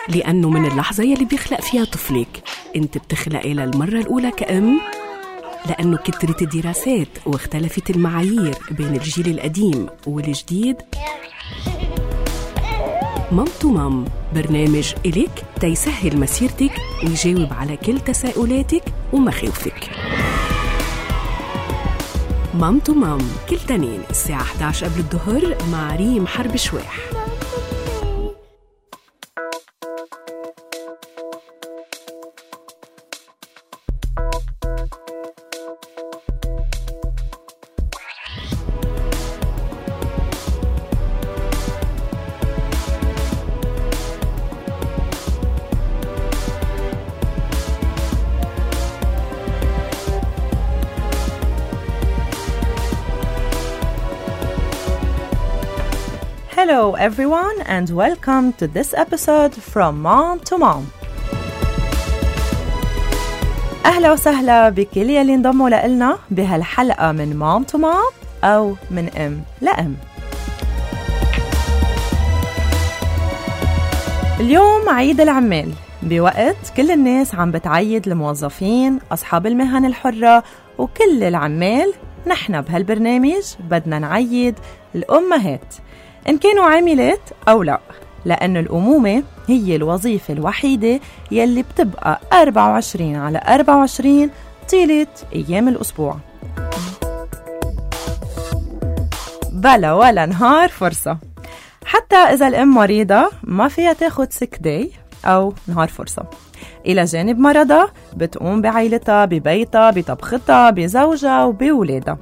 لأنه من اللحظة يلي بيخلق فيها طفلك انت بتخلقي للمرة الأولى كأم، لأنه كترت الدراسات واختلفت المعايير بين الجيل القديم والجديد. مام تو مام، برنامج إليك تيسهل مسيرتك ويجاوب على كل تساؤلاتك ومخاوفك. مام تو مام كل تنين الساعة 11 قبل الظهر مع ريم حرب شواح. Hello everyone and welcome to this episode from Mom to Mom. أهلا وسهلا بكل يلي انضموا لنا بهالحلقة من Mom to Mom أو من أم لأم. اليوم عيد العمال، بوقت كل الناس عم بتعيد الموظفين، أصحاب المهن الحرة وكل العمال. نحن بهالبرنامج بدنا نعيد الأمهات إن كانوا عاملات أو لا، لأن الأمومة هي الوظيفة الوحيدة يلي بتبقى 24/24 طيلة أيام الأسبوع، بلا ولا نهار فرصة. حتى إذا الأم مريضة ما فيها تاخد sick day أو نهار فرصة. إلى جانب مرضها بتقوم بعائلتها، ببيتها، بطبختها، بزوجها وبولادها.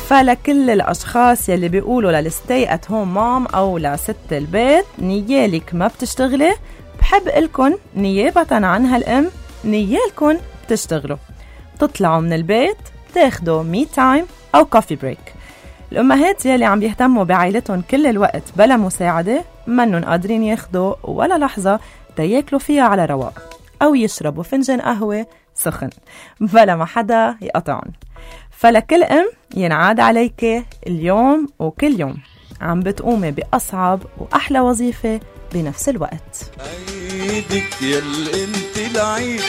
فلكل الأشخاص يلي بيقولوا للستي ات هوم مام أو لست البيت نيالك ما بتشتغلي، بحب لكم نيابة عن هالأم نيالكم بتشتغلوا، تطلعوا من البيت، تاخدوا مي تايم أو كوفي بريك. الأمهات يلي عم بيهتموا بعائلتهم كل الوقت بلا مساعدة منن قادرين ياخدوا ولا لحظة تياكلوا فيها على رواق أو يشربوا فنجان قهوة سخن بلا ما حدا يقطعن. فلكل أم ينعاد عليك اليوم وكل يوم عم بتقومي بأصعب وأحلى وظيفة بنفس الوقت. عيدك يلي انت العيد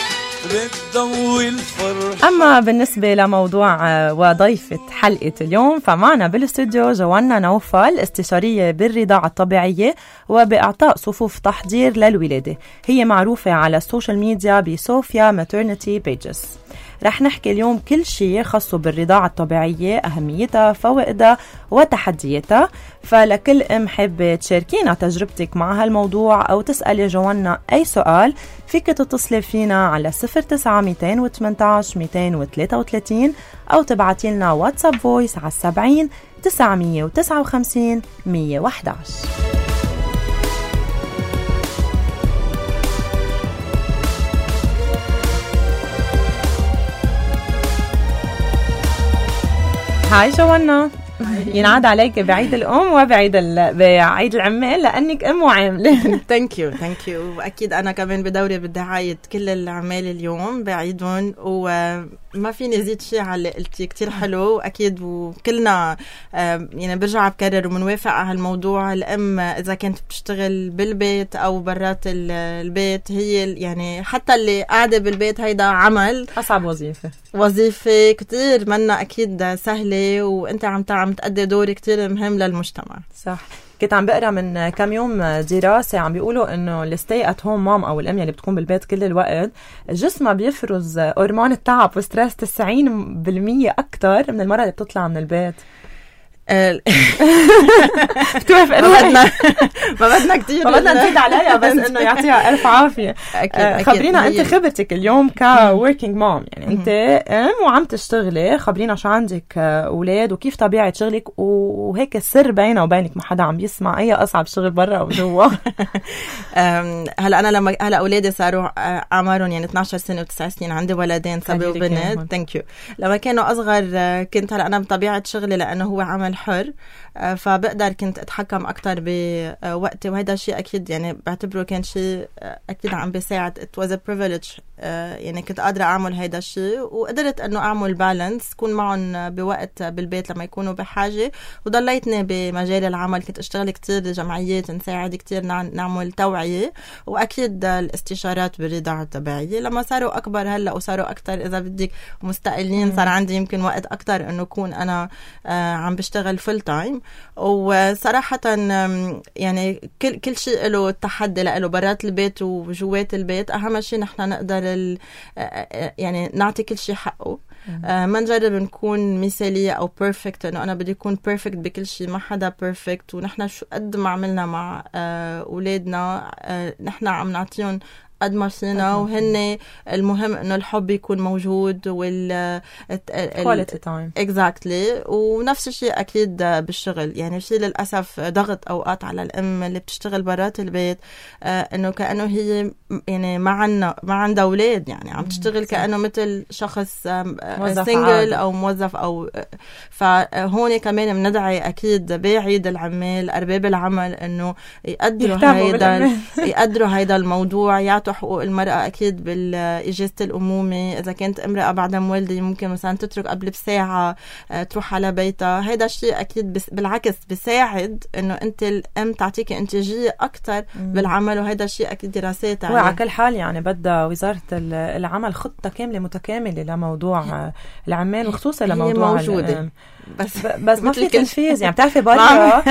بتضوي الفرح. أما بالنسبة لموضوع وضيفة حلقة اليوم، فمعنا بالاستوديو جوانا نوفل، استشارية بالرضاعة الطبيعية وبإعطاء صفوف تحضير للولادة. هي معروفة على السوشيال ميديا بصوفيا ماترنتي بيجز. رح نحكي اليوم كل شيء خاصه بالرضاعة الطبيعية، أهميتها، فوائدها وتحدياتها. فلكل أم حابة تشاركينا تجربتك مع هالموضوع أو تسألي جوانا أي سؤال، فيك تتصلي فينا على 09-218-233 أو تبعتي لنا واتساب فويس على 70-959-111. هاي جوانا، ينعاد عليك بعيد الأم وبعيد بعيد العمال لأنك أم وعاملة. ثانك يو وأكيد أنا كمان بدوري بدي عايد كل العمال اليوم بعيدهم، وما فيني زيد شيء على اللي قلتي، كتير حلو وأكيد وكلنا يعني برجع بكرر ومنوافق على هالموضوع. الأم إذا كانت بتشتغل بالبيت أو برات البيت، هي يعني حتى اللي قاعدة بالبيت هيدا عمل، أصعب وظيفة كتير منا أكيد سهلة، وأنت عم تأدي دور كتير مهم للمجتمع. صح. كنت عم بقرأ من كم يوم دراسة عم بيقولوا إنه الستي ات هوم مام أو الأم اللي بتكون بالبيت كل الوقت جسمها بيفرز هرمون التعب وستريس 90% أكتر من المرة اللي بتطلع من البيت. بتوافق ما بدنا كتير، ما بدنا نزيد عليها، بس انه يعطيها الف عافيه. خبرينا انت خبرتك اليوم كوركينج مام، يعني انت ام وعم تشتغلي، خبرينا شو عندك اولاد وكيف طبيعه شغلك، وهيك السر بينه وبينك ما حدا عم بيسمع، اي اصعب شغل برا او جوا. هلا انا لما هلا اولادي صاروا اعمارهم يعني 12 سنه و9 سنين، عندي ولدين صبي وبنت. ثانك يو. لما كانوا اصغر كنت هلا انا بطبيعه شغلي لانه هو عمل حر، فبقدر كنت اتحكم اكتر بوقتي، وهذا الشيء اكيد يعني بعتبره كان شيء اكيد عم بيساعد. it was a privilege، يعني كنت قادرة اعمل هيدا الشيء، وقدرت انه اعمل بالانس، كون معهم بوقت بالبيت لما يكونوا بحاجة، وضليتني بمجال العمل. كنت اشتغل كتير جمعيات، نساعد كتير نعمل توعية، واكيد الاستشارات بالرضاعة الطبيعية. لما صاروا اكبر هلا وصاروا اكتر اذا بدك مستقلين، صار عندي يمكن وقت اكتر انه كون انا عم بشتغل فول تايم. وصراحة يعني كل شيء له التحدي له برات البيت وجوات البيت. اهم شيء نحن نقدر يعني نعطي كل شيء حقه، ما نجرب نكون مثالية أو بيرفكت، إنه أنا بدي أكون بيرفكت بكل شيء. ما حدا بيرفكت، ونحن شو قد ما عملنا مع أولادنا نحن عم نعطيهم قد ما فينا، وهن المهم انه الحب يكون موجود quality time exactly. ونفس الشيء اكيد بالشغل، يعني في للاسف ضغط اوقات على الام اللي بتشتغل برات البيت، انه كانه هي يعني ما عندها اولاد، يعني عم تشتغل كانه مثل شخص سينجل او موظف او. فهون كمان بندعي اكيد بعيد العمال ارباب العمل انه يقدروا هيدا الموضوع، يعطوا حقوق المرأة أكيد بالإجازة الأمومة. إذا كانت امرأة بعدها مولدة ممكن مثلا تترك قبل بساعة تروح على بيتها. هيدا الشيء أكيد بالعكس بيساعد إنه أنت الأم تعطيك إنتاجية أكتر بالعمل، وهيدا الشيء أكيد دراسات عليه. وعلى كل حال يعني بدها وزارة العمل خطة كاملة متكاملة لموضوع العمال، وخصوصا لموضوع موجودة. بس ما في تنفيذ. يعني بتعرفي برا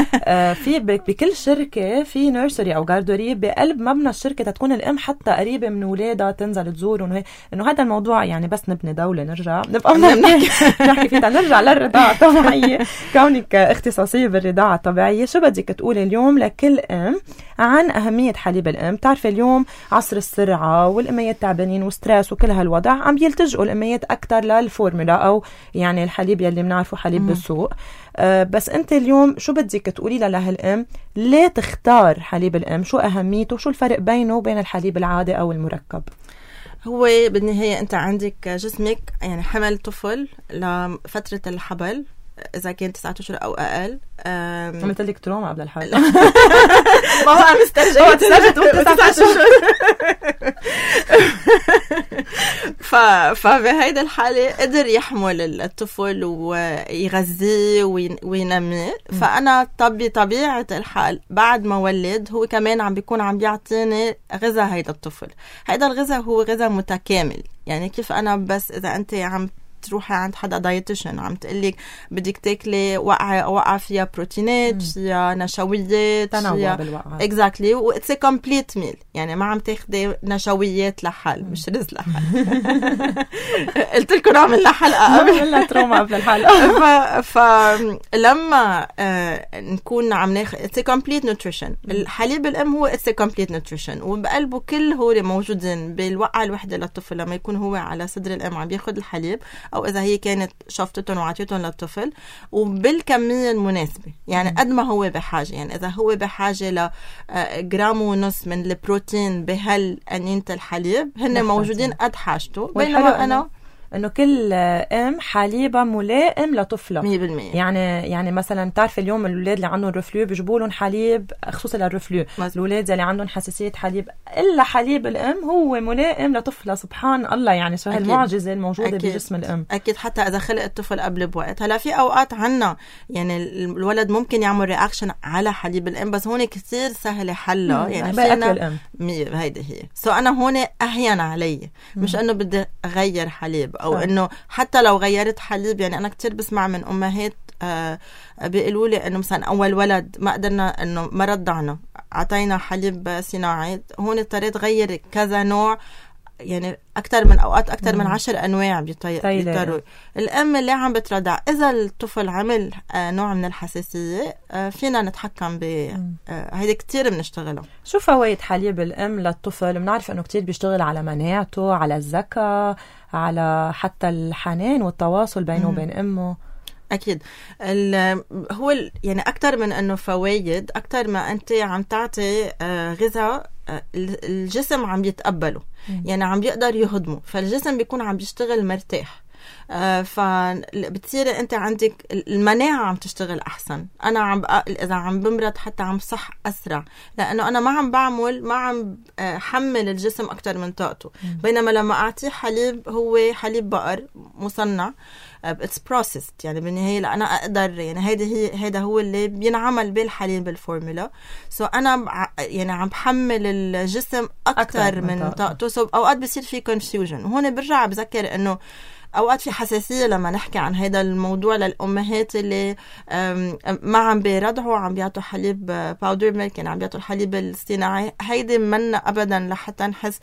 في بكل شركة في نيرسري أو جاردوري بقلب مبنى الشركة تكون الأم حتى قريبة من ولادها تنزل تزور، إنه هذا الموضوع يعني بس نبني دولة نرجع نبقى نحكي فيها، نرجع للرضاعة الطبيعية. كونك اختصاصية بالرضاعة الطبيعية، شو بدك تقولي اليوم لكل أم عن أهمية حليب الأم؟ تعرفي اليوم عصر السرعة والأميات تعبانين وستريس وكل هالوضع، عم يلتجئوا الأميات أكتر للفورمولا أو يعني الحليب يلي بنعرفه حليب بالسوق. بس أنت اليوم شو بدك تقولي لهالأم ليه تختار حليب الأم؟ شو أهميته؟ شو الفرق بينه وبين الحليب العادي أو المركب؟ هو بالنهاية أنت عندك جسمك يعني حمل طفل لفترة الحبل، إذا كان 9 أشهر أو أقل. عملت لك تروما قبل الحلقة. ما هو عم استرجعت 9 أشهر. فبهيدا الحالة قدر يحمل الطفل ويغذيه وينميه. فأنا بطبيعة الحال بعد ما ولد هو كمان عم بيكون عم بيعطيني غذاء هيدا الطفل. هيدا الغذاء هو غذاء متكامل. يعني كيف أنا بس إذا أنت عم تروحي عند حدا دايتيشن عم تقلك بدك تاكلي وقعة فيها بروتينات، فيها نشويات، تنوع بالوقعة. exactly. وإتس كومبليت ميل، يعني ما عم تاخدي نشويات لحال مش رز لحال. قلت لكم اعمل لها حلقة قبل تروما قبل الحلقة. فلما نكون عم ناخد إتس كومبليت نوتريشن. الحليب الأم هو إتس كومبليت نوتريشن، وبقلبه كل هو موجودين بالوقعة الوحدة للطفل. لما يكون هو على صدر الأم عم بياخد الحليب، أو إذا هي كانت شفطتهم وعطيتهم للطفل، وبالكمية المناسبة. يعني قد ما هو بحاجة، يعني إذا هو بحاجة لجرام ونص من البروتين بهالأنينة الحليب، هن موجودين قد حاجته. بينما أنا انه كل ام حليبها ملائم لطفلها 100%. يعني مثلا تعرف اليوم الاولاد اللي عندهم رفلو بيجيبوا لهم حليب خصوصا للرفلو، الاولاد اللي عندهم حساسيه حليب الا حليب الام هو ملائم لطفلها. سبحان الله، يعني شو هالمعجزه الموجوده بجسم الام. اكيد حتى اذا خلق الطفل قبل بوقت. هلا في اوقات عنا يعني الولد ممكن يعمل رياكشن على حليب الام، بس هون كتير سهل حلها. يعني فينا الام هيدي هي. انا هون اهين علي، مش انه بدي اغير حليب او انه حتى لو غيرت حليب. يعني انا كتير بسمع من امهات بيقولوا لي انه مثلا اول ولد ما قدرنا، انه ما رضعنا، عطينا حليب صناعي. هون اضطريت غير كذا نوع، يعني أكتر من أوقات أكتر من 10 أنواع بيضطروا. الأم اللي عم بترضع إذا الطفل عمل نوع من الحساسية فينا نتحكم هيدا كتير بنشتغله. شو فوائد حليب الأم للطفل؟ بنعرف أنه كتير بيشتغل على مناعته، على الذكاء، على حتى الحنان والتواصل بينه وبين أمه. أكيد هو يعني أكتر من أنه فوائد، أكتر ما أنت عم تعطي غذاء الجسم عم يتقبله، يعني عم بيقدر يهضمه، فالجسم بيكون عم بيشتغل مرتاح. فبتصير انت عندك المناعة عم تشتغل احسن. انا اذا عم بمرض حتى عم صح اسرع، لانه انا ما عم حمل الجسم اكتر من طاقته. بينما لما اعطيه حليب، هو حليب بقر مصنع، it's processed، يعني بالنهاية أنا أقدر، يعني هيدا هو اللي بينعمل بالحليب الفورمولا. أنا يعني عم بحمل الجسم أكتر من طاقته. أوقات بيصير في confusion، وهون برجع بذكر إنه أوقات في حساسية لما نحكي عن هذا الموضوع للأمهات اللي ما عم بيرضعوا، عم بيعطوا حليب باودر ميلك، يعني عم بيعطوا الحليب الصناعي. هيدي منا أبدا لحتى نحس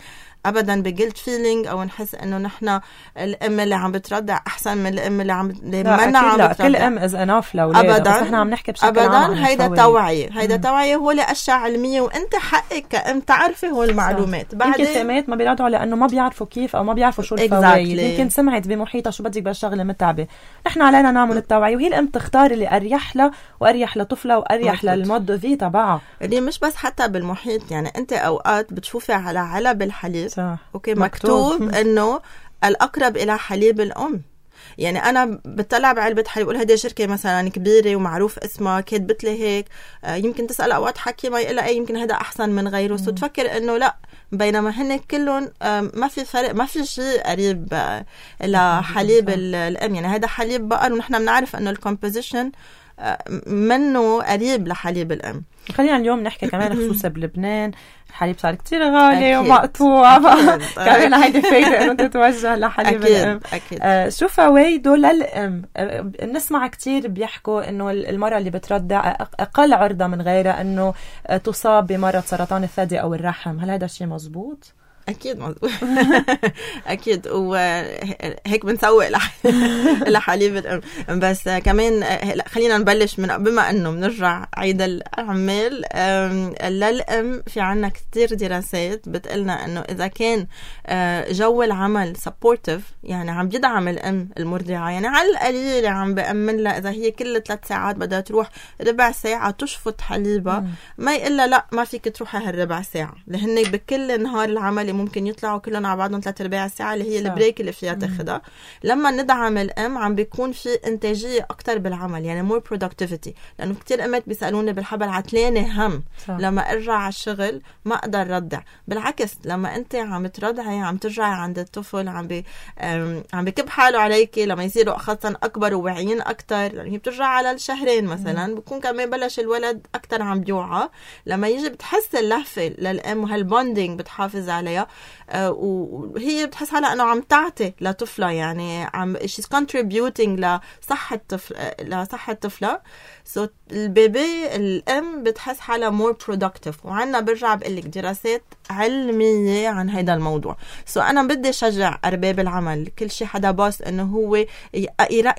ابدا بجلد فيلينج او نحس انه نحن الام اللي عم بترضع احسن من الام اللي عم منا عم بترضع. كل ام از اناف لاولادها، بس نحن عم نحكي بشكل عام. ابدا هيدا توعيه، هيدا توعيه، هو لاشياء علميه، وانت حقك كأم تعرفي هو المعلومات. بعدين يمكن الامات ما بيرضعوا لانه ما بيعرفوا كيف او ما بيعرفوا شو الفوائد. يمكن سمعت بمحيطها شو بدك بالشغله متعبه. نحن علينا نعمل التوعيه، وهي الام تختار اللي اريح لها واريح لطفلها واريح للمود في تبعها. اللي مش بس حتى بالمحيط، يعني انت اوقات بتشوفي على علب الحليب اوكي مكتوب انه الاقرب الى حليب الام. يعني انا بتطلع بعلبه حليب بقول هذه شركه مثلا كبيره ومعروف اسمها، كاتبت لي هيك، يمكن تسال اوقات حكي ما يقول يمكن هذا احسن من غيره، سو تفكر انه لا، بينما هن كلهم ما في فرق، ما في شيء قريب لحليب الام. يعني هذا حليب بقر، ونحن بنعرف انه الكومبوزيشن منه قريب لحليب الام. خلينا اليوم نحكي كمان خصوصا بلبنان الحليب صار كتير غالي ومقطوع، كمان هيدي فايدة انه تتوجه لحليب الام. شو فوائده للام؟ نسمع كتير بيحكوا انه المرأة اللي بترضع اقل عرضة من غيرها انه تصاب بمرض سرطان الثدي او الرحم. هل هذا الشيء مزبوط؟ أكيد مظبوط. أكيد، وهيك بنسوق لحليب الأم. بس كمان خلينا نبلش من بما أنه بنرجع عيد الأعمال للأم. في عنا كتير دراسات بتقلنا أنه إذا كان جو العمل supportive، يعني عم يدعم الأم المرضعة، يعني على القليل عم بأمن لها إذا هي كل 3 ساعات بدها تروح ربع ساعة تشفط حليبها، ما يقلها لا ما فيك تروحي هالربع ساعة، لهن بكل نهار العمل ممكن يطلعوا كلهم على بعضهم 3/4 ساعة اللي هي البريك اللي فيها تاخدها. لما ندعم الأم عم بيكون في إنتاجية أكتر بالعمل، يعني more productivity. لأنه كتير أمات بيسألوني بالحبل عتلانة هم لما أرجع على الشغل ما أقدر ردع. بالعكس، لما أنت عم ترضعي عم ترجعي عند الطفل عم بكب حاله عليكي لما يصيروا خاصة أكبر وواعيين أكتر. يعني هي بترجع على الشهرين مثلا بكون كمان بلش الولد أكتر عم بيوعى. لما يجي بتحس اللهفة للأم وهالبوندينج بتحافظ عليها، وهي بتحس حالها انه عم تعطي لطفلها، يعني she's contributing لصحة طفلها. سو البيبي الام بتحس حالها more productive. وعنا برجع بقلك دراسات علمية عن هيدا الموضوع. سو انا بدي شجع ارباب العمل، كل شي حدا باص انه هو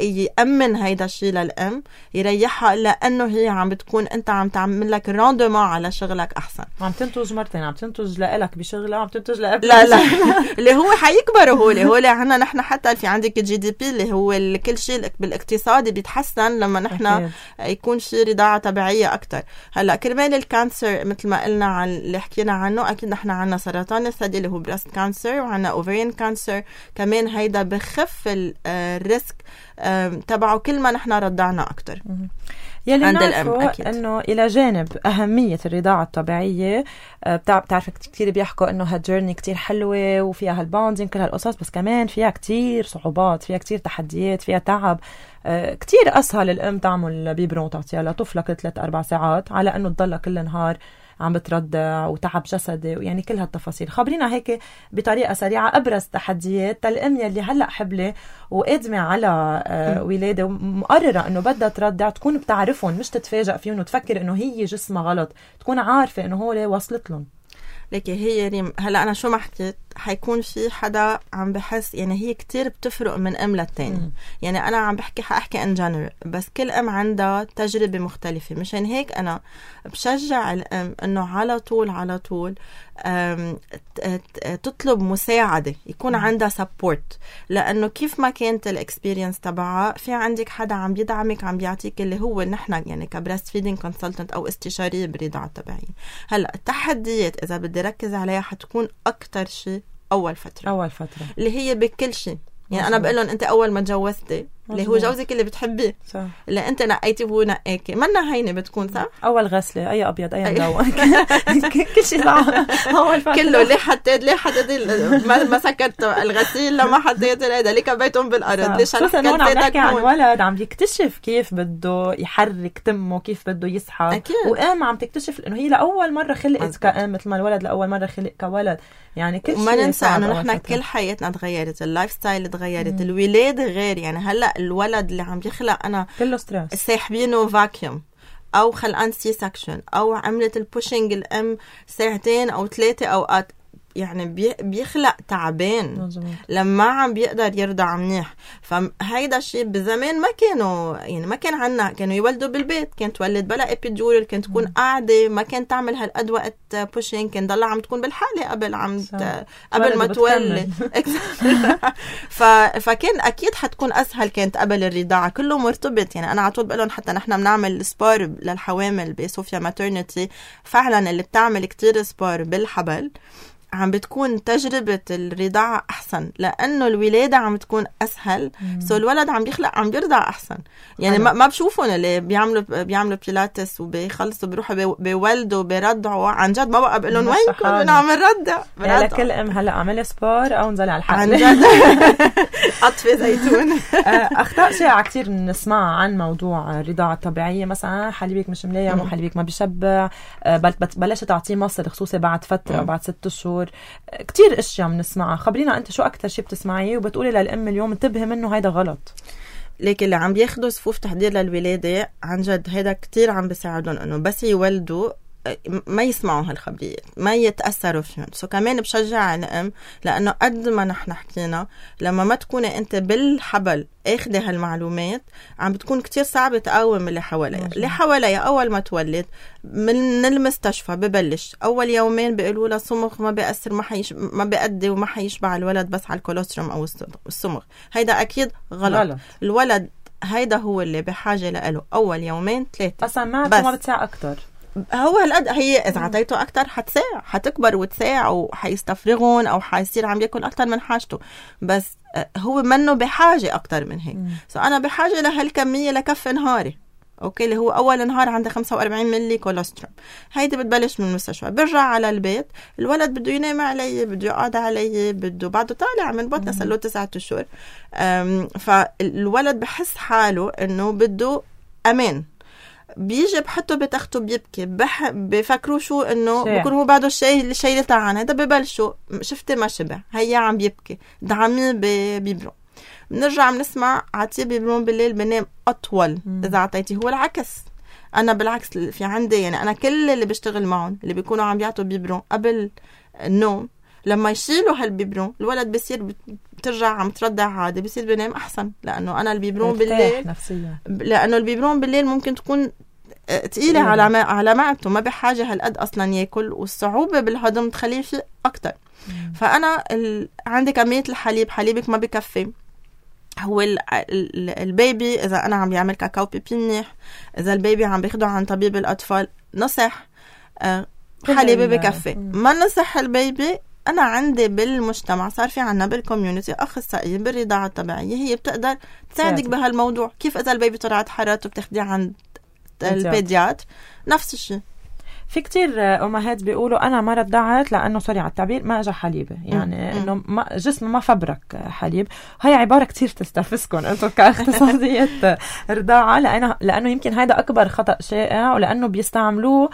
يأمن هيدا الشي للام، يريحها، لانه هي عم بتكون انت عم تعمل لك راندومون على شغلك احسن. عم تنتج مرتين، عم تنتج لك بشغلها، عم تنتج لا اللي هو حيكبروا هو عنا نحن حتى في عندك الGDP اللي هو كل شيء بالاقتصادي بيتحسن لما نحن يكون في رضاعة طبيعية أكتر. هلا كرمال الكانسر مثل ما قلنا عن اللي حكينا عنه، أكيد نحن عنا سرطان الثدي اللي هو بريست كانسر، وعنا اوفرين كانسر كمان. هيدا بخف الريسك تبعه كل ما نحن رضعنا أكتر. يلي نعرفه انه الى جانب اهميه الرضاعه الطبيعيه، بتعرف كثير بيحكوا انه هالجيرني كتير حلوه وفيها هالبوندينج كل هالقصص، بس كمان فيها كتير صعوبات، فيها كتير تحديات، فيها تعب. كتير اسهل الام تعمل بيبرون تعطيها لطفلها كل 3-4 ساعات على انه تضلها كل نهار عم بتردع وتعب جسدي، ويعني كل هالتفاصيل. خبرينا هيك بطريقة سريعة أبرز تحديات الأم يلي هلأ حبلة وقادمة على ولادة ومقررة أنه بدها تردع، تكون بتعرفهم، مش تتفاجأ فيهم وتفكر أنه هي جسمها غلط، تكون عارفة أنه هو وصلت لهم. لكن هي ريم، هلا أنا شو ما حكيت حيكون في حدا عم بحس، يعني هي كتير بتفرق من أم للتاني. يعني أنا عم حأحكي in general، بس كل أم عندها تجربة مختلفة. مشان هيك أنا بشجع الأم إنه على طول تطلب مساعدة، يكون عندها support. لأنه كيف ما كانت الإكسبيرينس تبعها، في عندك حدا عم يدعمك، عم بيعطيك اللي هو نحن يعني كبريست فيدينج كونسلتنت أو استشارية بالرضاعة الطبيعية. هلا التحديات إذا بدي ركز عليها حتكون أكتر شيء أول فترة اللي هي بكل شيء. يعني أنا بقول لهم أنت أول ما تجوزتي اللي هو جوزك اللي بتحبيه صح. اللي أنت نقيتي وهو نقاكي منا هينة بتكون صح. أول غسلة أي أبيض أي ملون كل شيء أول كله ليه حطيت ما سكت الغسيل لما حطيت هذا ليه كبيتهم بالأرض ليش هون عم نحكي عن ولد عم يكتشف كيف بده يحرك تمه كيف بده يسحب وقام عم تكتشف إنه هي لأول مرة خلقت كأم مثل ما الولد لأول مرة خلق كولد يعني كل شيء. وما ننسى إنه نحن كل حياتنا تغيرت اللايف ستايل تغيرت الولادة غير يعني هلا الولد اللي عم يخلق أنا كله ستريس ساحبينه فاكيوم أو خلقان سي سكشن أو عملت البوشنج الأم 2 أو 3 أوقات يعني بيخلق تعبان لما عم بيقدر يرضع منيح. فهيدا الشيء بزمان ما كانوا يعني ما كان عنا كانوا يولدوا بالبيت كانت تولد بلا ابيدورال كانت تكون قاعدة ما كان تعمل هالقد وقت بوشينج كان ضلها عم تكون بالحالة قبل ما تولد فكان أكيد حتكون أسهل كانت قبل الرضاعة كله مرتبط يعني أنا عطول بقولهم حتى نحن بنعمل سبار للحوامل بصوفيا ماترنتي فعلا اللي بتعمل كتير سبار بالحبل عم بتكون تجربة الرضاعة أحسن لأنه الولادة عم تكون أسهل سو الولد عم بيخلق عم بيرضع أحسن يعني ما بشوفون اللي بيعملوا بيلاتس وبيخلصوا بيروحوا بيولدوا بيرضعوا عن جد ما بقى بقولون وينكم أنا عم نرضع لكل أم هلأ عمل سبار أو نزل على الحقل عن جد أطفي زيتون. أخطاء شائعة كتير نسمع عن موضوع الرضاعة الطبيعية مثلا حليبك مش مليان وحليبك ما بيشبع بلشت تعطيه مصر خصوصي بعد فترة بعد 6 شهور كتير اشياء بنسمعها خبرينا انت شو اكتر شيء بتسمعيه وبتقولي للام اليوم انتبهي منه هيدا غلط. لكن اللي عم بياخدوا صفوف تحضير للولادة عن جد هيدا كتير عم بيساعدهم انه بس يولدوا ما يسمعوا هالخبريات ما يتأثروا فيهم كمان بشجع الأم لأنه قد ما نحن حكينا لما ما تكوني أنت بالحبل أخذي هالمعلومات عم بتكون كتير صعبة تقاوم اللي حواليها أول ما تولد من المستشفى ببلش أول يومين بيقولوا لها صمغ ما بيأثر ما بيأدي وما حيشبع الولد بس على الكولوستروم أو الصمغ هيدا أكيد غلط. الولد هيدا هو اللي بحاجة له أول يومين 3 أصلا ما بتساع أكتر هو هالقد هي إذا عطيته أكتر حتساع حتكبر وتساع وحيستفرغون أو حيصير عم يأكل أكتر من حاجته بس هو منه بحاجة أكتر من هيك أنا بحاجة لهالكمية لكف نهاري أوكي اللي هو أول نهار عنده 45 ملي كولوستروم هيدي بتبلش من المستشفى برجع على البيت الولد بده ينام علي بده يقعد علي بده بعده طالع من بطنه صار له 9 أشهر فالولد بحس حاله إنه بده أمان بيجي بحطه بتخته بيبكي بفكروا شو انه بكون هو بعده الشيء اللي تعان هذا ببلشوا شفتي ما شبع هيا عم بيبكي دعميه ببيبرون بنرجع بنسمع عطيه بيبرون بالليل بنام اطول اذا عطيتي هو العكس انا بالعكس في عندي يعني انا كل اللي بشتغل معهم اللي بيكونوا عم يعطوا بيبرون قبل النوم لما يشيلوا هالبيبرون الولد بيصير بترجع عم ترضع عادي بيصير بنام احسن لانه انا البيبرون بالليل نفسيا لانه البيبرون بالليل ممكن تكون تقيلة على معدته ما بحاجة هالقد أصلا يأكل والصعوبة بالهضم تخليه شيء أكتر فأنا عندي كمية الحليب حليبك ما بكفي هو البيبي إذا أنا عم بيعمل كاكاو بيبي منيح إذا البيبي عم بياخده عن طبيب الأطفال نصح حليبي بكفي ما نصح البيبي أنا عندي بالمجتمع صار في عنا بالكوميونيتي أخصائية بالرضاعة الطبيعية هي بتقدر تساعدك بهالموضوع كيف إذا البيبي طلعت حرارته بتاخديه عند البيديات نفس الشيء في كتير أمهات بيقولوا أنا ما رضعت لأنه سوري على التعبير ما أجا حليبة يعني إنه جسم ما فبرك حليب هاي عبارة كتير تستفزكم أنتم كاختصاصية رضاعة لأنه يمكن هذا أكبر خطأ شائع ولأنه بيستعملوه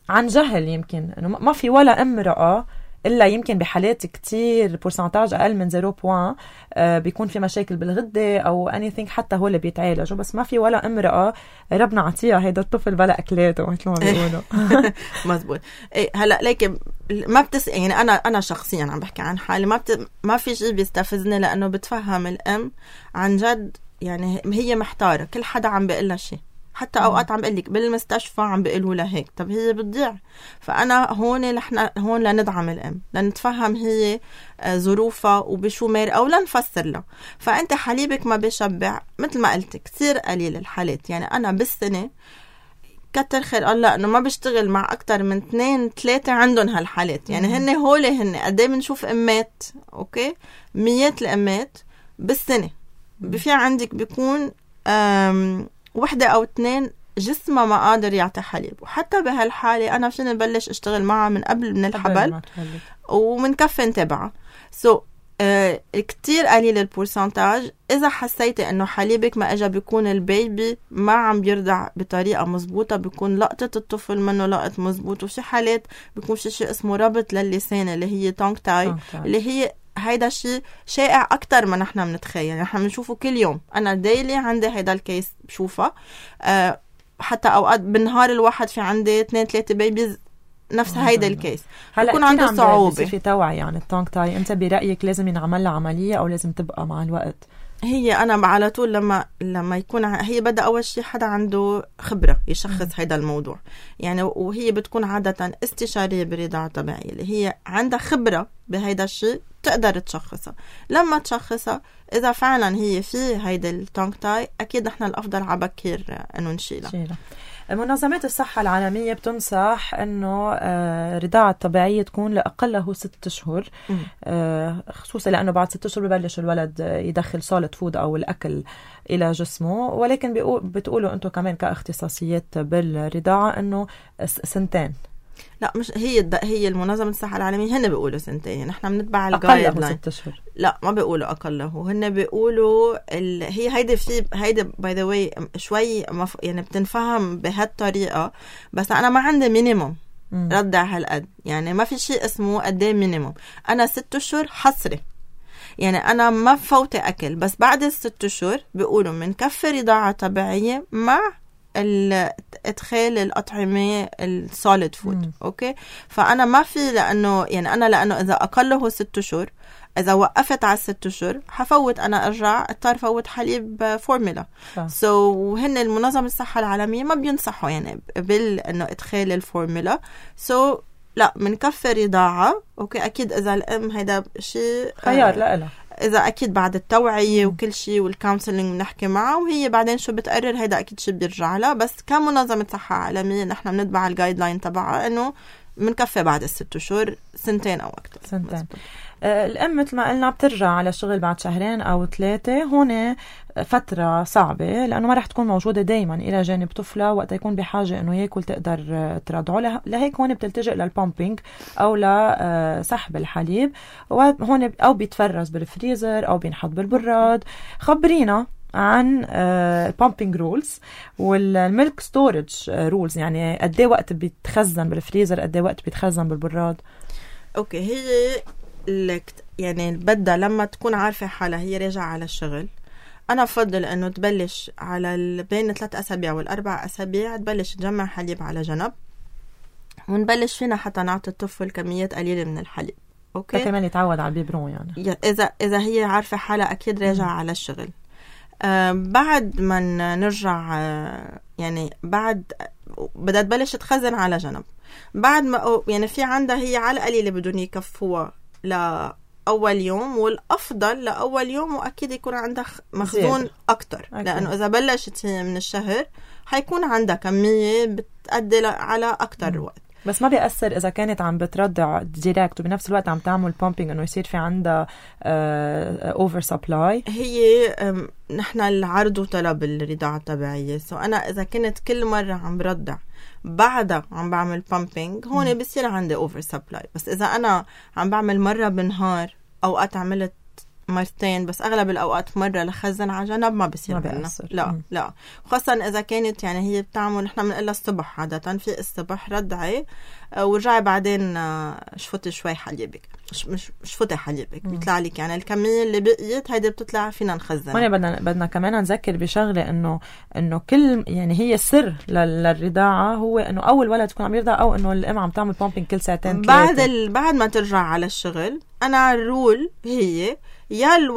عن جهل يمكن إنه ما في ولا امرأة إلا يمكن بحالات كتير بورسنتاج أقل من 0 بيكون في مشاكل بالغدة أو anything حتى هو اللي بيتعالجوا بس ما في ولا امرأة ربنا عطيها هيدا الطفل بلا أكلاته مثل ما بيقولوا مزبوط هلأ لكن ما يعني أنا شخصيا عم بحكي عن حالي ما في شيء بيستفزني لأنه بتفهم الأم عن جد يعني هي محتارة كل حدا عم بيقلها شيء حتى أوقات عم بقلك بالمستشفى عم بقلوا لها هيك طب هي بتضيع فأنا هون لندعم الأم لنتفهم هي ظروفها وبشو مار أو لنفسر لها فأنت حليبك ما بيشبع مثل ما قلت كتير قليل الحالات يعني أنا بالسنة كتر خير الله انه ما بيشتغل مع اكتر من 2-3 عندهم هالحالات. يعني هن قد ايه بنشوف امات، اوكي، ميات الامات بالسنه. في عندك بيكون 1 أو 2 جسمه ما قادر يعطي حليب، وحتى بهالحاله انا فيني نبلش اشتغل معها من قبل من الحبل ومن كفي نتابعها. كتير قليل البورسنتاج. إذا حسيتي إنه حليبك ما إجا، بيكون البيبي ما عم بيرضع بطريقة مزبوطة، بيكون لقطة الطفل منه لقط مزبوط، وفي حالات بيكون في شيء اسمه ربط للسان اللي هي تونج تاي، اللي هي هيدا شيء شائع أكتر ما نحن بنتخيل. نحن بنشوفه كل يوم. أنا دايلي عندي هيدا الكيس بشوفه، حتى أوقات بالنهار الواحد في عندي 2-3 بيبيز نفس هيدا الكيس. هلا عنده صعوبة في توعي يعني التونج تاي. انت برأيك لازم ينعمل لها عملية او لازم تبقى مع الوقت؟ هي انا على طول لما يكون هي بدأ اول شيء حدا عنده خبرة يشخص هيدا الموضوع يعني، وهي بتكون عادة استشارية بالرضاعة الطبيعية اللي هي عندها خبرة بهيدا الشيء تقدر تشخصها. لما تشخصها إذا فعلا هي في هيدا التونج تاي، أكيد نحن الأفضل عبكير إنه نشيلها. منظمات الصحة العالمية بتنصح إنه الرضاعة الطبيعية تكون لأقله 6 أشهر، خصوصا لأنه بعد 6 أشهر ببلش الولد يدخل سوليد فود أو الأكل إلى جسمه. ولكن بتقولوا أنتم كمان كاختصاصيات بالرضاعة إنه 2. لا، مش هي المنظمة الصحة العالمية هن بيقولوا 2. نحن بنتبع الجايد لاين. 6 أشهر. لا، ما بيقولوا أقله. هن بيقولوا هي هيدا باي ذا واي شوي يعني بتنفهم بهالطريقة، بس أنا ما عندي مينيموم ردع هالقد. يعني ما في شيء اسمه قديه مينيموم. أنا 6 أشهر حصري، يعني أنا ما فوتي أكل، بس بعد 6 أشهر بيقولوا من كفي رضاعة طبيعية مع ادخال الأطعمة السوليد فود. اوكي، فأنا ما في لأنه إذا أقله 6 أشهر، إذا وقفت على 6 أشهر حفوت أنا أرجع اضطر فوت حليب فورمولا. هن المنظمة الصحة العالمية ما بينصحوا يعني إنه إدخال الفورمولا. لا، من كفي رضاعة. اوكي، أكيد إذا الأم هيدا شيء خيار لها، إذا أكيد بعد التوعية وكل شيء والكونسلنج بنحكي معه، وهي بعدين شو بتقرر هيدا أكيد شيء بيرجع لها. بس كمنظمة صحة عالمية نحن بنتبع الجايد لاين تبعها إنه منكفي بعد 6 أشهر 2 أو أكتر. 2. الأم مثل ما قلنا بترجع على الشغل بعد 2 أو 3. هون فترة صعبة لأنه ما رح تكون موجودة دايما إلى جانب طفلة وقت يكون بحاجة إنه يأكل تقدر ترضعه. لهيك هون بتلتجئ للبامبينج أو لسحب الحليب، وهون أو بيتفرز بالفريزر أو بينحط بالبراد. خبرينا عن البامبينج رولز والميلك ستورج رولز، يعني قد ايه وقت بيتخزن بالفريزر، قد ايه وقت بيتخزن بالبراد. اوكي، هي يعني بدها لما تكون عارفة حالها هي راجعة على الشغل، أنا أفضل أنه تبلش على بين 3 أسابيع و4 أسابيع تبلش تجمع حليب على جنب، ونبلش فينا حتى نعطي الطفل كميات قليلة من الحليب. أوكي، كمان يتعود على البيبرون يعني. إذا هي عارفة حالها أكيد راجعة على الشغل. بعد ما نرجع يعني بعد بدها تبلش تخزن على جنب. بعد ما يعني في عندها هي على القليلة بدون يكفوها لأول يوم، والأفضل لأول يوم وأكيد يكون عندها مخزون أكتر. لأنه إذا بلشت هي من الشهر حيكون عندها كمية بتأدي على أكتر وقت. بس ما بيأثر إذا كانت عم بترضع ديريكت وبنفس الوقت عم تعمل بامبينج إنه يصير في عندها أوفر سبلاي؟ هي نحن العرض وطلب الرضاعة الطبيعية. أنا إذا كنت كل مرة عم برضع بعدها عم بعمل بامبينج، هون بيصير عندي أوفر سبلاي. بس إذا أنا عم بعمل مرة بالنهار، أوقات عملت 2 بس أغلب الأوقات مرة لخزن على جنب، ما بيصير عنا. لا خاصة إذا كانت يعني هي بتعمل، نحن بنقلها الصبح عادة، في الصبح رضعي ورجعي بعدين شفتي شوي حليبك، مش شفتي حليبك بيطلع لك يعني الكمية اللي بقيت هيدا بتطلع فينا نخزنها. هون بدنا كمان نذكر بشغلة إنه كل يعني هي السر للرضاعة هو إنه أول ولد تكون عم يرضع، أو إنه الأم عم تعمل بامبينج كل 2-3 بعد ما ترجع على الشغل. أنا الرول هي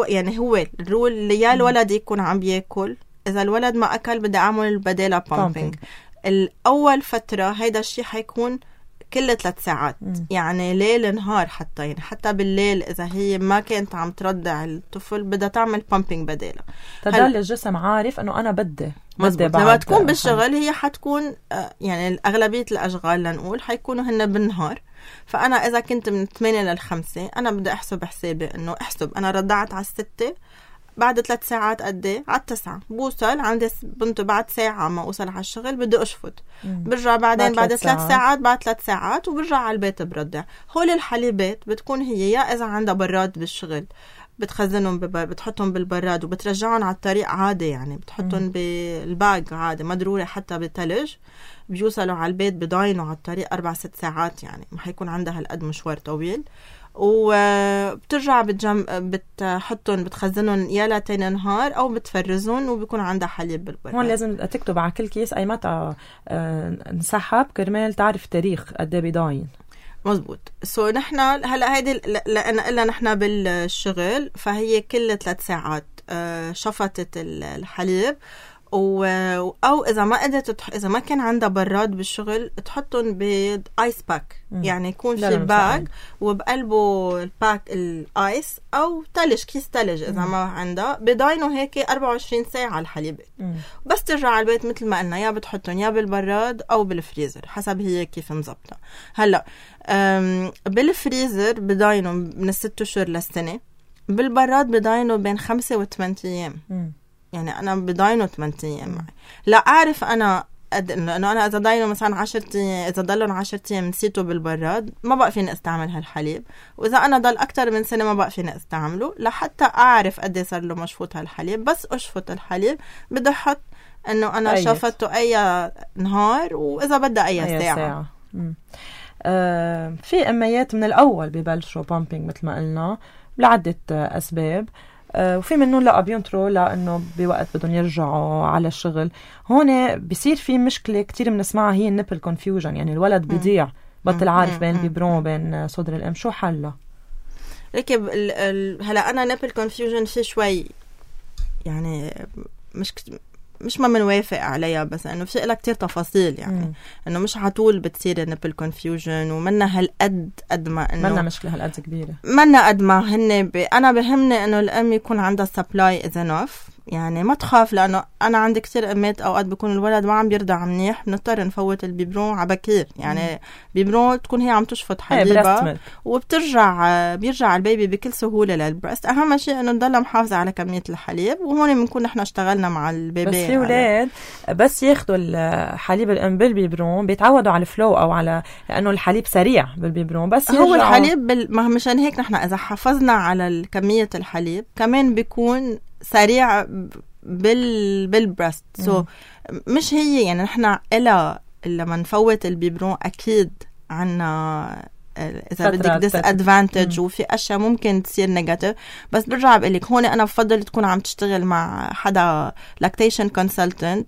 يعني هو الرول اللي يا الولد يكون عم بياكل، إذا الولد ما أكل بدي أعمل بدالة بامبينج. الأول فترة هيدا الشيء حيكون كل 3 ساعات. يعني ليل نهار حتى، يعني حتى بالليل إذا هي ما كانت عم ترضع الطفل بدها تعمل بامبينج بدالها، تضل الجسم عارف أنه أنا بدي لما تكون بالشغل هي حتكون يعني أغلبية الأشغال لنقول حيكونوا هن بالنهار. فأنا إذا كنت من 8 ل5 أنا بدي أحسب حسابي إنه أنا رضعت على 6 بعد 3 ساعات قدي على 9 بوصل عندي بنته بعد ساعة ما أوصل على الشغل بدي أشفط، برجع بعدين بعد 3 ساعات بعد 3 ساعات وبرجع على البيت برضع. هول الحليبات بتكون هي يا إذا عندها براد بالشغل بتخزنهم بتحطهم بالبراد وبترجعهم على الطريق عادي، يعني بتحطهم بالباج عادي ما ضروري حتى بالثلج، بيوصلوا على البيت بضاينوا على الطريق 4-6 ساعات، يعني ما حيكون عندها هالقد مشوار طويل. وبترجع بتحطهم بتخزنهم يا لتين نهار او بتفرزهم وبيكون عندها حليب بالبراد. هون لازم تكتب على كل كيس اي متى انسحب كرمال تعرف تاريخ قد ايه بضاين. مزبوط. نحن هلا هيدي لأن إلا نحن بالشغل فهي كل 3 ساعات شفطت الحليب أو إذا ما قدرت إذا ما كان عندها براد بالشغل تحطهم بآيس باك، يعني يكون في باك وبقلبه الباك الآيس أو تلج كيس تلج إذا ما عندها بضاينه هيك 24 ساعة الحليب. بس ترجع على البيت مثل ما قلنا يا بتحطهم يا بالبراد أو بالفريزر حسب هي كيف مزبطة. هلا بالفريزر بضاينه من 6 أشهر للسنة، بالبراد بضاينه بين 5 و8 أيام. يعني أنا بضاينه 8 أيام معي. لا أعرف أنا إنه أنا إذا ضاينه مثلا 10 أيام إذا ضلهم 10 أيام نسيته بالبراد ما بقى فيني استعمل هالحليب، وإذا أنا ضل أكتر من سنة ما بقى فيني استعمله لحتى أعرف قد صار له مشفوط هالحليب. بس أشفط الحليب بدي أحط إنه أنا شفته أي نهار وإذا بدها أي ساعة. في أميات من الأول ببلشوا بامبينج مثل ما قلنا لعدة أسباب، وفي منهم لا بينطروا لأنه بوقت بدهم يرجعوا على الشغل. هون بيصير في مشكلة كتير بنسمعها هي النبل كونفيوجن، يعني الولد بيضيع بطل عارف بين البيبرون وبين صدر الأم. شو حلها؟ ركب هلا أنا نبل كونفيوجن في شوي يعني مش ما منوافق عليها، بس انه في لها كتير تفاصيل، يعني انه مش عطول بتصير النبل كونفيوجن ومنا هالقد قد ما انه منا مشكله هالقد كبيره، منا قد ما هن انا بهمني انه الام يكون عندها سبلاي اذا نوف، يعني ما تخاف، لانه انا عندي كتير امات اوقات بيكون الولد ما عم بيرضع منيح بنضطر نفوت البيبرون على بكير، يعني بيبرون تكون هي عم تشفط حليبها بيرجع البيبي بكل سهوله للبرست. اهم شيء انه نضل محافظه على كميه الحليب، وهون بنكون نحن اشتغلنا مع البيبي. بس في اولاد بس ياخذوا الحليب الام بالبيبرون بيتعودوا على الفلو او على لانه الحليب سريع بالبيبرون، بس هو الحليب ما مشان هيك نحن اذا حافظنا على كميه الحليب كمان بيكون سريع بالبرست. مش هي يعني نحن لما نفوت البيبرون اكيد عنا اذا بدك ديس ادفانتج وفي اشياء ممكن تصير نيجاتيف، بس برجع بقول لك هون انا بفضل تكون عم تشتغل مع حدا لاكتيشن كونسلتنت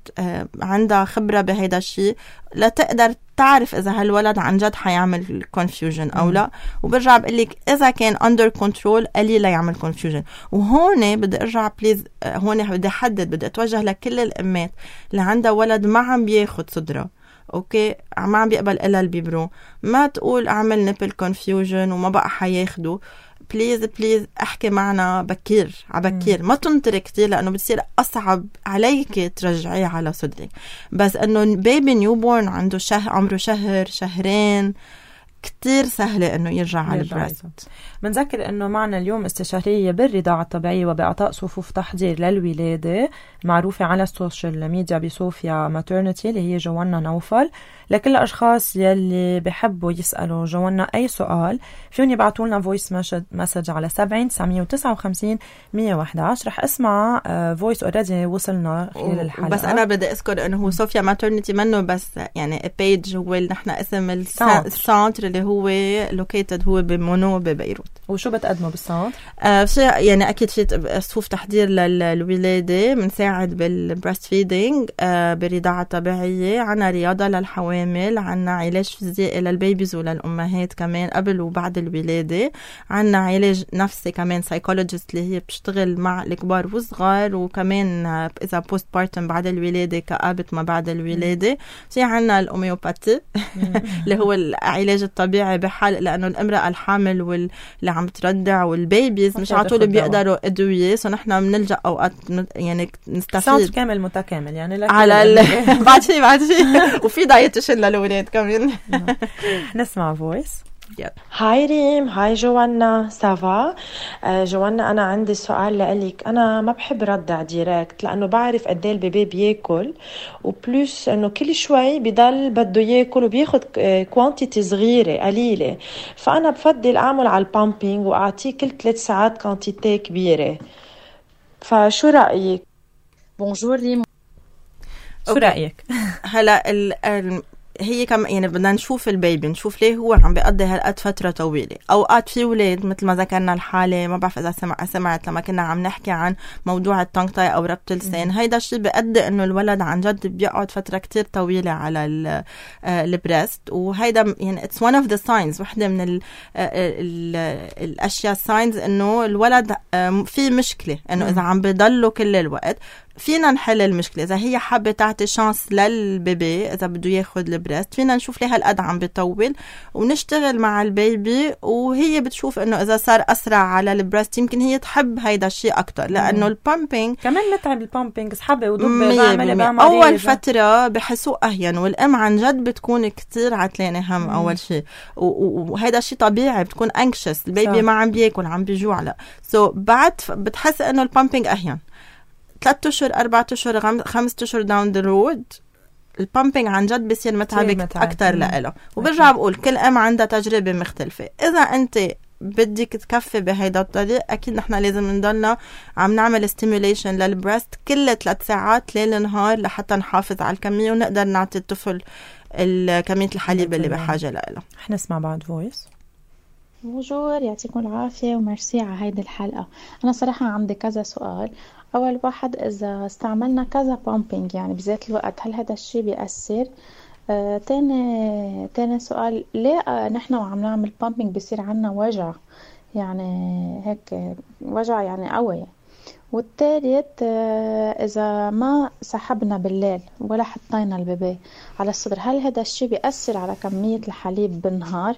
عندها خبره بهيدا الشيء لتقدر تعرف اذا هالولد عن جد حيعمل كونفيوجن او لا. وبرجع بقول لك اذا كان اندر كنترول قليل لا يعمل كونفيوجن. وهون بدي ارجع بليز، هون بدي احدد، بدي اتوجه لكل الامات اللي عندها ولد ما عم بياخد صدره، اوكي، ما عم بيقبل الا البيبرون، ما تقول اعمل نيبل كونفيوجن وما بقى حياخده. بليز احكي معنا بكير عبكير، ما تنطري كتير لانه بتصير اصعب عليك ترجعيه على صدرك. بس انه بيبي نيوبورن عنده عمره شهرين كتير سهلة انه يرجع على البريست. بنذكر انه معنا اليوم استشارية بالرضاعة الطبيعية وبإعطاء صفوف تحضير للولادة معروفة على السوشيال ميديا بصوفيا ماترنتي اللي هي جوانا نوفل. لكل الأشخاص يلي بحبوا يسألوا جوانا أي سؤال فيهم يبعتوا لنا فويس مسج على 70-959-111. رح اسمع فويس اوريدي وصلنا خلال الحلقة. بس أنا بدي أذكر أنه هو صوفيا ماترنتي منه بس يعني بيج، هو نحن اسم السانتر اللي هو located هو بمونو ببيروت. وشو بتقدموا بالسنتر؟ يعني أكيد في صفوف تحضير للولادة، بنساعد بالبريست فيدينج، برضاعة طبيعية، عنا رياضة للحوامل، عنا علاج فيزيائي للبيبيز وللأمهات كمان قبل وبعد الولادة، عنا علاج نفسي كمان سايكولوجيست اللي هي بتشتغل مع الكبار والصغار، وكمان إذا بوست بارتم بعد الولادة كآبة ما بعد الولادة. في عنا الأوميوباتي اللي هو العلاج الطبيعي بحال لأنه الامرأة الحامل واللي عم تردع والبيبيز مش عطول بيقدروا أدوية، نحن بنلجأ أوقات يعني نستفيد سنتر كامل متكامل يعني على بعد شيء وفي دايتيشن للولاد كمان. نسمع فويس. هاي ريم، هاي جوانا، سافا. جوانا أنا عندي سؤال لأليك. أنا ما بحب ردع ديريكت لأنه بعرف قد ايه البيبي بياكل، وبلوس أنه كل شوي بضل بده ياكل وبياخد كوانتيتي صغيرة قليلة، فأنا بفضل أعمل على البامبينج وأعطيه كل 3 ساعات كوانتيتي كبيرة. فشو رأيك؟ بونجور ريم. شو رأيك؟ هلا هي كم يعني بدنا نشوف البيبي، نشوف ليه هو عم بيقضي هالقد فترة طويلة. أوقات في ولاد مثل ما ذكرنا الحالة، ما بعرف إذا سمعت لما كنا عم نحكي عن موضوع التونغ تاي أو ربط اللسان، هيدا الشيء بيؤدي إنه الولد عن جد بيقعد فترة كتير طويلة على البريست، وهيدا يعني it's one of the signs، واحدة من الأشياء signs إنه الولد في مشكلة، إنه إذا عم بيضله كل الوقت فينا نحل المشكلة. إذا هي حابة تعطي شانس للبيبي إذا بده ياخد البريست، فينا نشوف ليه هالقد عم بيطول ونشتغل مع البيبي، وهي بتشوف إنه إذا صار أسرع على البريست يمكن هي تحب هيدا الشيء أكتر، لأنه البامبينج كمان متعب. البامبينج سحبة ودب أول فترة بحسوه أهين، والأم عن جد بتكون كتير عتلانة هم أول شيء، وهيدا الشيء طبيعي، بتكون anxious، البيبي ما عم بياكل عم بيجوع. لا بعد بتحس إنه البامبينج أهين 3 أشهر 4 أشهر 5 أشهر داون ذا رود البامبينج عن جد بيصير متعب أكتر لإله. وبرجع بقول كل أم عندها تجربة مختلفة. إذا أنت بدك تكفي بهيدا الطريق أكيد نحن لازم نضلنا عم نعمل stimulation للبريست كل 3 ساعات ليل نهار لحتى نحافظ على الكمية ونقدر نعطي الطفل كمية الحليب اللي بحاجة لإله. احنا نسمع بعد فويس. بونجور، يعطيكم العافية وميرسي على هيدي الحلقة. أنا صراحة عندي كذا سؤال. أول واحد، إذا استعملنا كذا بامبينج يعني بذات الوقت هل هذا الشيء بيأثر؟ تاني سؤال، ليه نحن وعم نعمل بامبينج بيصير عنا وجع، يعني هيك وجع يعني قوي؟ والثالث، إذا ما سحبنا بالليل ولا حطينا البيبي على الصدر هل هذا الشيء بيأثر على كمية الحليب بالنهار؟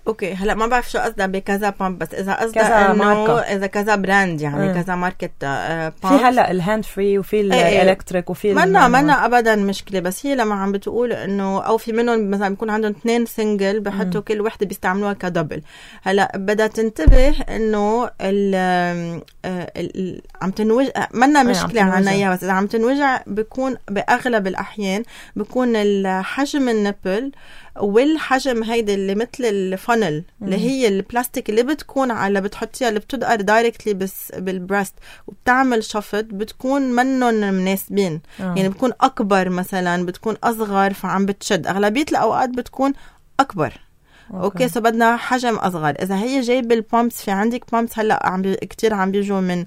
اوكي هلا ما بعرف شو قصدها بكذا بامب، بس اذا قصدها انه اذا كذا براند يعني كذا ماركت بامب. في هلا الهاند فري وفي الالكتريك وفي منا ابدا مشكله، بس هي لما عم بتقول انه او في منهم مثلا بيكون عندهم 2 سنجل بحطوا كل وحده بيستعملوها كدبل. هلا بدها تنتبه انه عم تنوجع منا مشكله عنا، بس اذا عم تنوجع بيكون باغلب الاحيان بيكون الحجم النبل والحجم هيدا اللي مثل الفانل اللي هي البلاستيك اللي بتكون على بتحطيها اللي بتدقر دايركتلي بس بالبريست وبتعمل شفط، بتكون منن مناسبين. يعني بتكون أكبر مثلا بتكون أصغر فعم بتشد، أغلبية الأوقات بتكون أكبر. اوكي سو بدنا حجم اصغر. اذا هي جايب البامبس، في عندك بامبس هلا كتير عم بيجوا من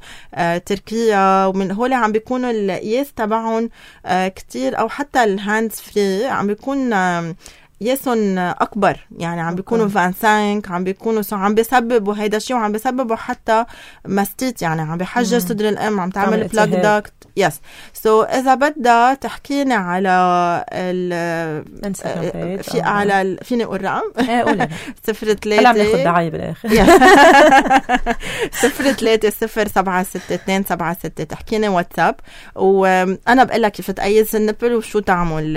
تركيا ومن هول عم بيكونوا القياس تبعهم كتير، او حتى الهاندز فري عم بيكون يسون اكبر، يعني عم بيكونوا 25 عم بيكونوا عم بيسببوا هيدا الشيء، وعم بيسببوا حتى ماستيت، يعني عم بحجر صدر الام، عم تعمل بلاك داكت. يس سو اذا بدها تحكينا على في على فيني اقول رقم 03 هلا بناخذ دعايه بالاخر 03076276 تحكينا واتساب، وانا بقول لك كيف تقيس النبل وشو تعمل،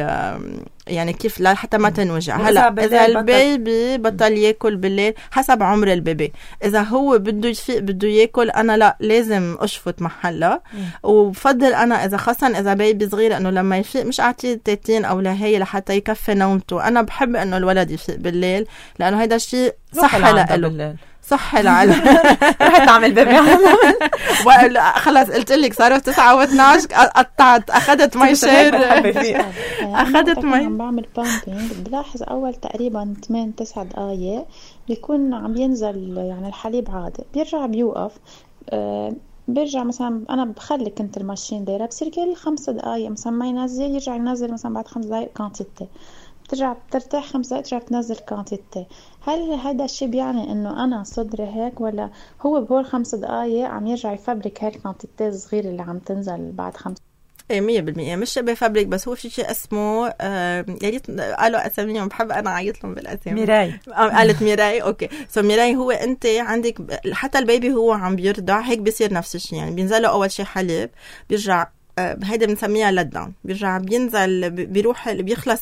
يعني كيف لا حتى ما تنوجع. هلا اذا البيبي بطل ياكل بالليل حسب عمر البيبي، اذا هو بده يفيق بده ياكل انا لا لازم اشفط محلها. وبفضل انا اذا خاصه اذا بيبي صغير انه لما يفيق مش اعطيه تيتين او لهي لحتى يكفي نومته. انا بحب انه الولد يفيق بالليل لانه هيدا الشيء صح له. صح العلم. رحت أعمل بيبي خلص قلت لك صاروا 9 و12 قطعت أخذت مي شير أخذت مي. عم بعمل بامبينج بلاحظ أول تقريبا 8-9 دقايق بيكون عم ينزل يعني الحليب عادي، بيرجع بيوقف. بيرجع مثلا أنا بخلي كنت الماشين دايرة بصير كل 5 دقايق مثلا ما ينزل، يرجع ينزل مثلا بعد 5 دقايق كانتيتي، بترجع بترتاح 5 دقايق ترجع بتنزل كانتيتي. هل هذا الشيء بيعني إنه أنا صدري هيك، ولا هو بهول 5 دقايق عم يرجع يفبرك هاي الكانتيتي الصغيرة اللي عم تنزل بعد 5؟ 100% مش بفابريك، بس هو في شيء اسمه يا ريت قالوا اساميهم، بحب انا اعيط لهم بالاسامي. ميراي قالت ميراي. اوكي سو ميراي هو انت عندك حتى البيبي هو عم بيرضع هيك بيصير نفس الشيء، يعني بينزل له اول شيء حليب، بيرجع هيدا بنسميها لدان، بيرجع بينزل بيروح بيخلص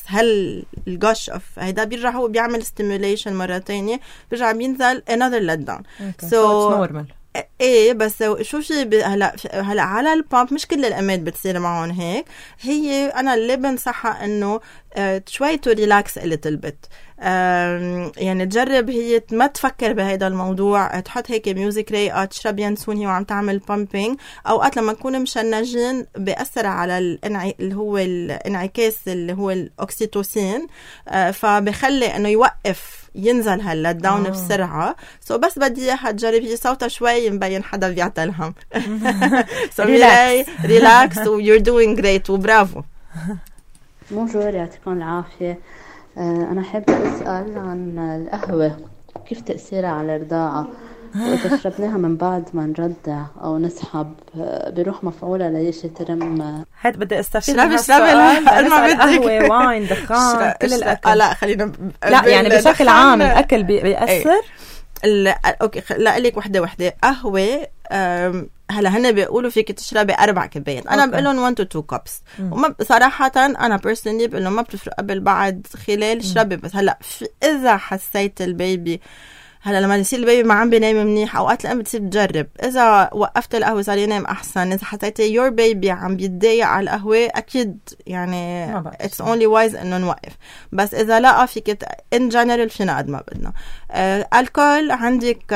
الجوش اوف هيدا، بيرجع هو بيعمل ستيموليشن مره ثانيه، بيرجع بينزل another لدان. سو نورمال. ايه بس شو في هلا على البامب مش كل الامات بتصير معهم هيك. هي انا اللي بنصحها انه شوي تو ريلاكس a little bit، يعني تجرب هي ما تفكر بهذا الموضوع، تحط هيك ميوزك رايقه، تشرب ينسون هي وعم تعمل بامبينج. اوقات لما نكون مشنجين بيأثر على اللي هو الانعكاس اللي هو الاكسيتوسين، فبخلي انه يوقف ينزل هلا داون بسرعه. بس بدي اياها تجرب هي صوتها شوي مبين حدا بيعتلهم. ريلاكس و you're doing great وبرافو. بونجور، يعطيكم العافيه. أنا حابة أسأل عن القهوة، كيف تأثيرها على الرضاعة، وإذا شربناها من بعد ما نرضع أو نسحب بيروح مفعولها ليش ترم؟ هاد بدي استفيد من هالسؤال. قهوة، واين، دخان، كل الأكل. لا خلينا لا يعني بشكل عام الأكل بيأثر. أوكي لا لك وحدة قهوة. هلا هن بيقولوا فيك تشربي 4 كوبايات، انا بقول لهم 1 to 2 cups. وما صراحه انا بيرسونلي بقول لهم ما بتفرق قبل بعد خلال شربي. بس هلا اذا حسيت البيبي هلا لما يصير البيبي ما عم بينام منيح، اوقات الام بتصير تجرب اذا وقفت القهوه صار ينام احسن. اذا حسيتي يور بيبي عم بيتضايق على القهوه اكيد يعني اتس اونلي وايز انه نوقف. بس اذا لا فيك ان جنرال فينا قد ما بدنا. الكول عندك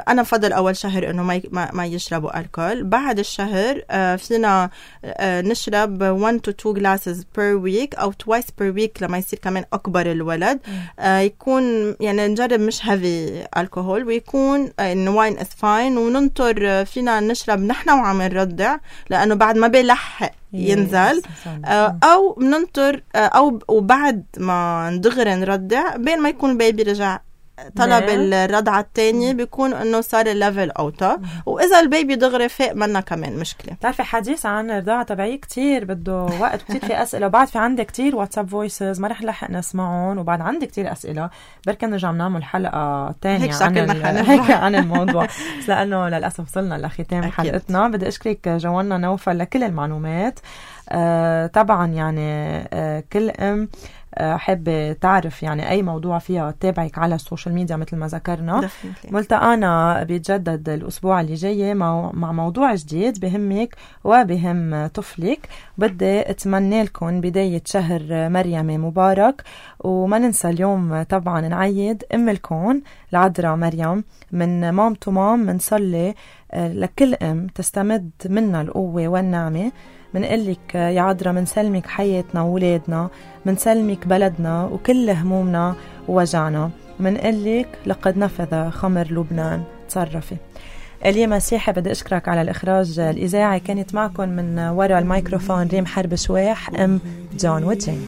انا بفضل اول شهر انه ما يشربوا الكول. بعد الشهر فينا نشرب 1 to 2 glasses per week او twice per week لما يصير كمان اكبر الولد. يكون يعني نجرب مش هيفي الكحول، ويكون الواين از فاين، وننطر فينا نشرب نحن وعم نرضع لانه بعد ما بيلحق ينزل. او بننطر او وبعد ما ندغري نرضع بين ما يكون البيبي رجع طلب الرضعة الثانية بيكون انه صار الليفل اوتا. واذا البيبي دغري فاق منا كمان مشكلة. بتعرفي حديث عن الرضاعة تبعي كتير بده وقت، كتير في اسئلة، وبعد في عندي كتير واتساب فويسز ما رح نلحق نسمعهم، وبعد عندي كتير اسئلة بركن نرجع نعمل حلقة تانية عن الموضوع. بس لانه للاسف وصلنا لختام حلقتنا. بدي اشكرك جوانا نوفل لكل المعلومات. طبعا يعني كل ام حابة تعرف يعني أي موضوع فيها تتابعك على السوشيال ميديا مثل ما ذكرنا. ملتقانا بيتجدد الأسبوع اللي جاي مع موضوع جديد بهمك وبهم طفلك. بدي أتمنى لكم بداية شهر مريم مبارك، وما ننسى اليوم طبعا نعيد أم الكون العذراء مريم. من مام تو مام منصلي لكل أم تستمد منا القوة والنعمة. منقلك يا عذراء منسلمك حياتنا وولادنا، منسلمك بلدنا وكل همومنا ووجعنا. منقلك لقد نفذ خمر لبنان، تصرفي. اليوم مسيحي بدي أشكرك على الإخراج الإذاعي. كانت معكم من وراء الميكروفون ريم حرب شواح أم جون وجين.